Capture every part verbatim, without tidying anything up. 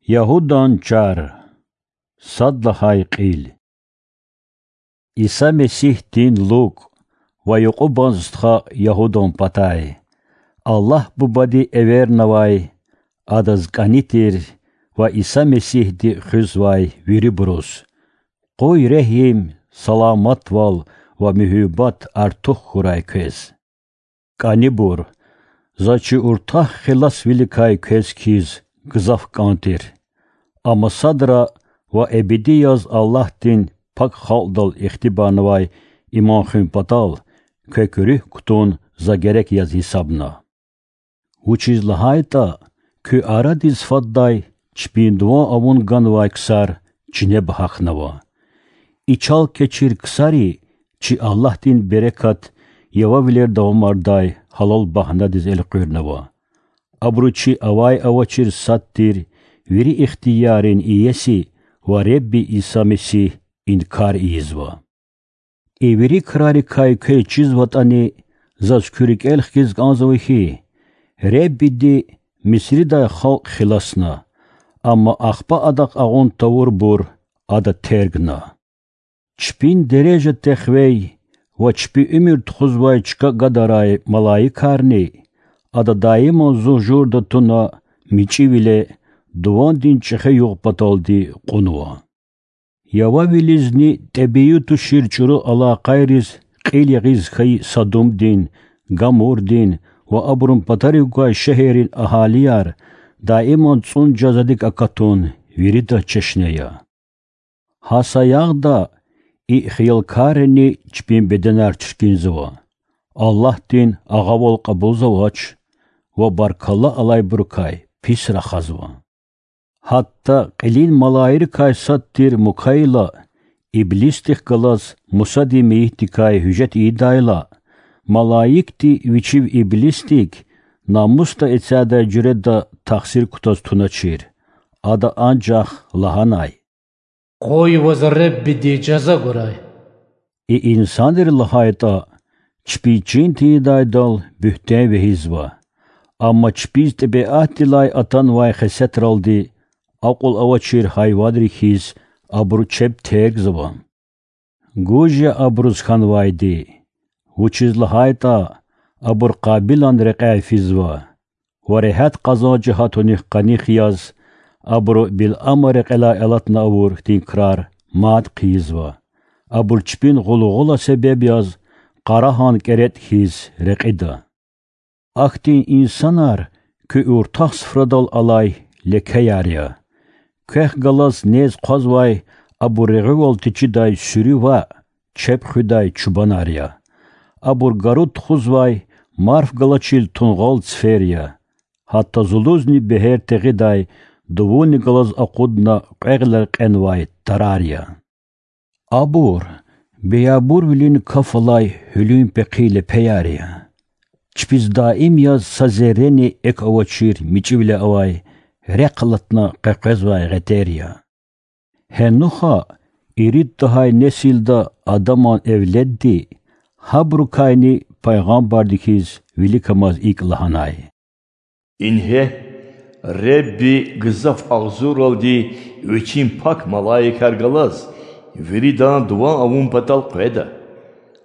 Ягьудан чар. Сад лагьай кьил. Иса Месигьдин лукӀ ва юкьубан стха Ягьудан патай. Аллагь Бубади эвернавай, Адаз кӀани тир ва Иса Месигьди хуьзвай вирибуруз къуй регьим, саламатвал ва муьгьуьббат артух хьурай квез. КӀанибур, заз чи уртах хиласвиликай квез хьиз гзаф кӀан тир. Амма садра ва эбеди яз Аллагьдин пак халкьдал ихтибарнавай иман хуьн патал квек руьгь кутун за герек яз гьисабна. Вучиз лагьайтӀа куь арадиз фадай чпин дуван авун ганвай ксар чинеба гьахьнава. И чал-кечир ксари чи Аллагьдин берекат явавилер давамардай гьалал багьнадиз элкъуьрнава. Абуру чи авай-авачир сад тир вири ихтияррин иеси ва Ребби Иса Месигь инкар ийизва. И вири крарикай квез чизватӀани, заз куь рикӀел хкиз кӀанзава хьи, Реббиди Мисридай халкь хиласна, амма ахпа Адахъ агъун тавурбур Ада тергна. Чпин дережа техвей ва чпи уьмуьр тухузвай чка гадарай малаикарни Ада даиман зун журда туна мичӀивиле дувандин чӀехи югъ паталди кьунва. Явавилизни тӀебии тушир чӀуру алакъайриз кьил ягъиз хьайи Садумдин, Гамурдин ва абурун патарив гвай шегьеррин агьалияр даиман цӀун жазадик акатун виридаз чешне я. Гьа саягъда и хиялкаррини чпин беденар чиркинзава, Аллагьдин агъавал кьабулзавач ва баркалла алайбурукай пис рахазва. Гьатта кьилин малаикрикай сад тир Мукайила иблисдихъ галаз Мусадин мейитдикай гьуьжет ийидайла, малаикди вичив иблисдик намусда эцядай жуьреда тахсир кутаз туначир. Ада анжах лагьанай: Къуй ваз Реббиди жаза гурай. И инсанри, лагьайтӀа, чпиз чин тийидайдал буьгьтен вегьизва, амма чпиз тӀебиатдилай атанвай хесетралди акьул авачир гьайванрин хьиз абуру чеб тергзава. Гуж я абуруз хьанвайди, вучиз лагьайтӀа абур Къабилан рекьяй физва ва регьят къазанж гьатунихъ къаних яз, абуру Билама рекьелай алатна авур хьтин крар мад хъийизва. Абур чпин гъулгъула себеб яз къарагьан кӀеретӀ хьиз рекьида. Ахьтин инсанар куь уртах суфрадал алай лекеяр я. Квехъ галаз нез хъвазвай абур регъуьвал течидай суьруь ваъ, чеб хуьдай чубанар я. Абур гару тухузвай марф галачир тунгъал цифер я. Гьатта зулузни бегьер тегъидай дувунни галаз акъудна кьвегъилер кьенвай тарар я. Абур биябурвилин каф алай гьуьлуьн пехъи лепеяр я. Чпиз даим яз са зеррени экв авачир мичӀивиле авай, рехъ алатна къекъвезвай гъетер я. Гьенуха ирид тахьай несилда Адаман эвледди, гьабурукайни пайгъамбарди хьиз виликамаз икӀ лагьанай: Ингье, Ребби гзаф агъзурралди Вичин пак малаикар галаз виридан дуван авун патал къведа.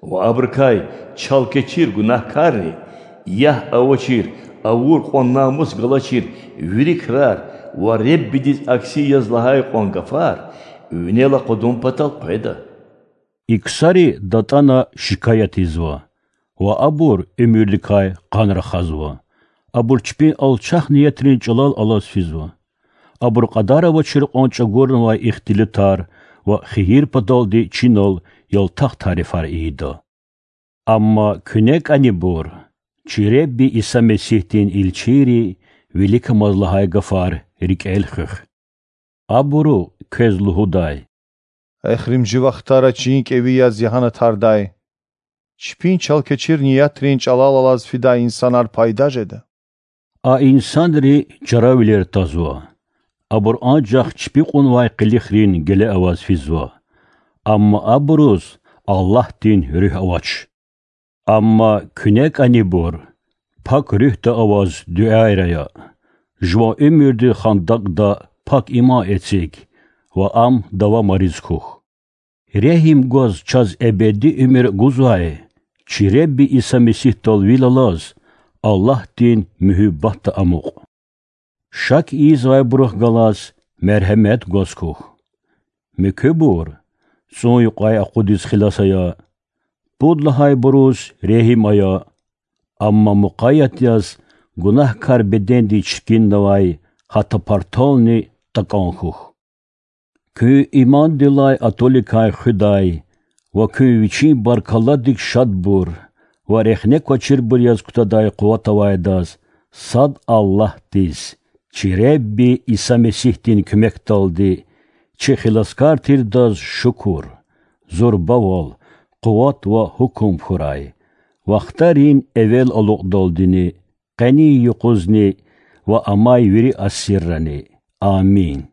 Ва абурукай чал-кечир гунагькарри, ягь авачир, авур кьван намус галачир вири крар ва Реббидиз акси яз лагьай кьван гафар винел акъудун патал къведа. И ксари датӀана шикаят ийизва ва абур уьмуьрдикай къан рахазва. Абур чпин алчах ниятрин чӀалал алаз физва. Абур кьадар авачир кьван чӀагурнавай ихтилатар ва хийир паталди чинал ялтах тарифар ийида. Амма куьне кӀанибур, чи Ребби Иса Месигьдин илчийри виликамаз лагьай гафар рикӀел хуьх. Абуру квез лугьудай: Эхиримжи вахтара чин кӀеви яз ягьанатардай, чпин чал-кечир ниятрин чӀалал алаз фидай инсанар пайда жеда. А инсанри чаравилер тазва. Абур анжах чпи кьунвай къилихрин геле аваз физва. Амма абуруз Аллагьдин Руьгь авач. Амма куьне кӀанибур, Пак Руьгьда аваз дуьаяр ая. Жуван уьмуьрди хандакӀда пак иман эциг ва ам давамариз хьухь. Регьим гваз чаз эбеди уьмуьр гузвай чи Худа Иса Месигьдал вил алаз, Аллагьдин муьгьуьббатда амукь. Шак ийизвайбурухъ галаз мергьемет гваз хьухь. Муькуьбур цӀун юкьвай акъудиз хилас ая, пуд лагьайбуруз регьим ая, амма мукъаят яз гунагькар бедендиз чиркиннавай гьа тапартални такӀан хьухь. Куьн имандилай атӀуликай хуьдай ва куьн вичин баркалладик шадбур ва рехне квачирбур яз кутадай къуват авайдаз сад Аллагьдиз, чи Худа Иса Месигьдин куьмекдалди, чи Хиласкар тирдаз шукур, зурбавал, къуват ва гьукум хьурай, вахтарин эвел алукьдалдини, къенин юкъузни ва амай вири асиррани. Амин.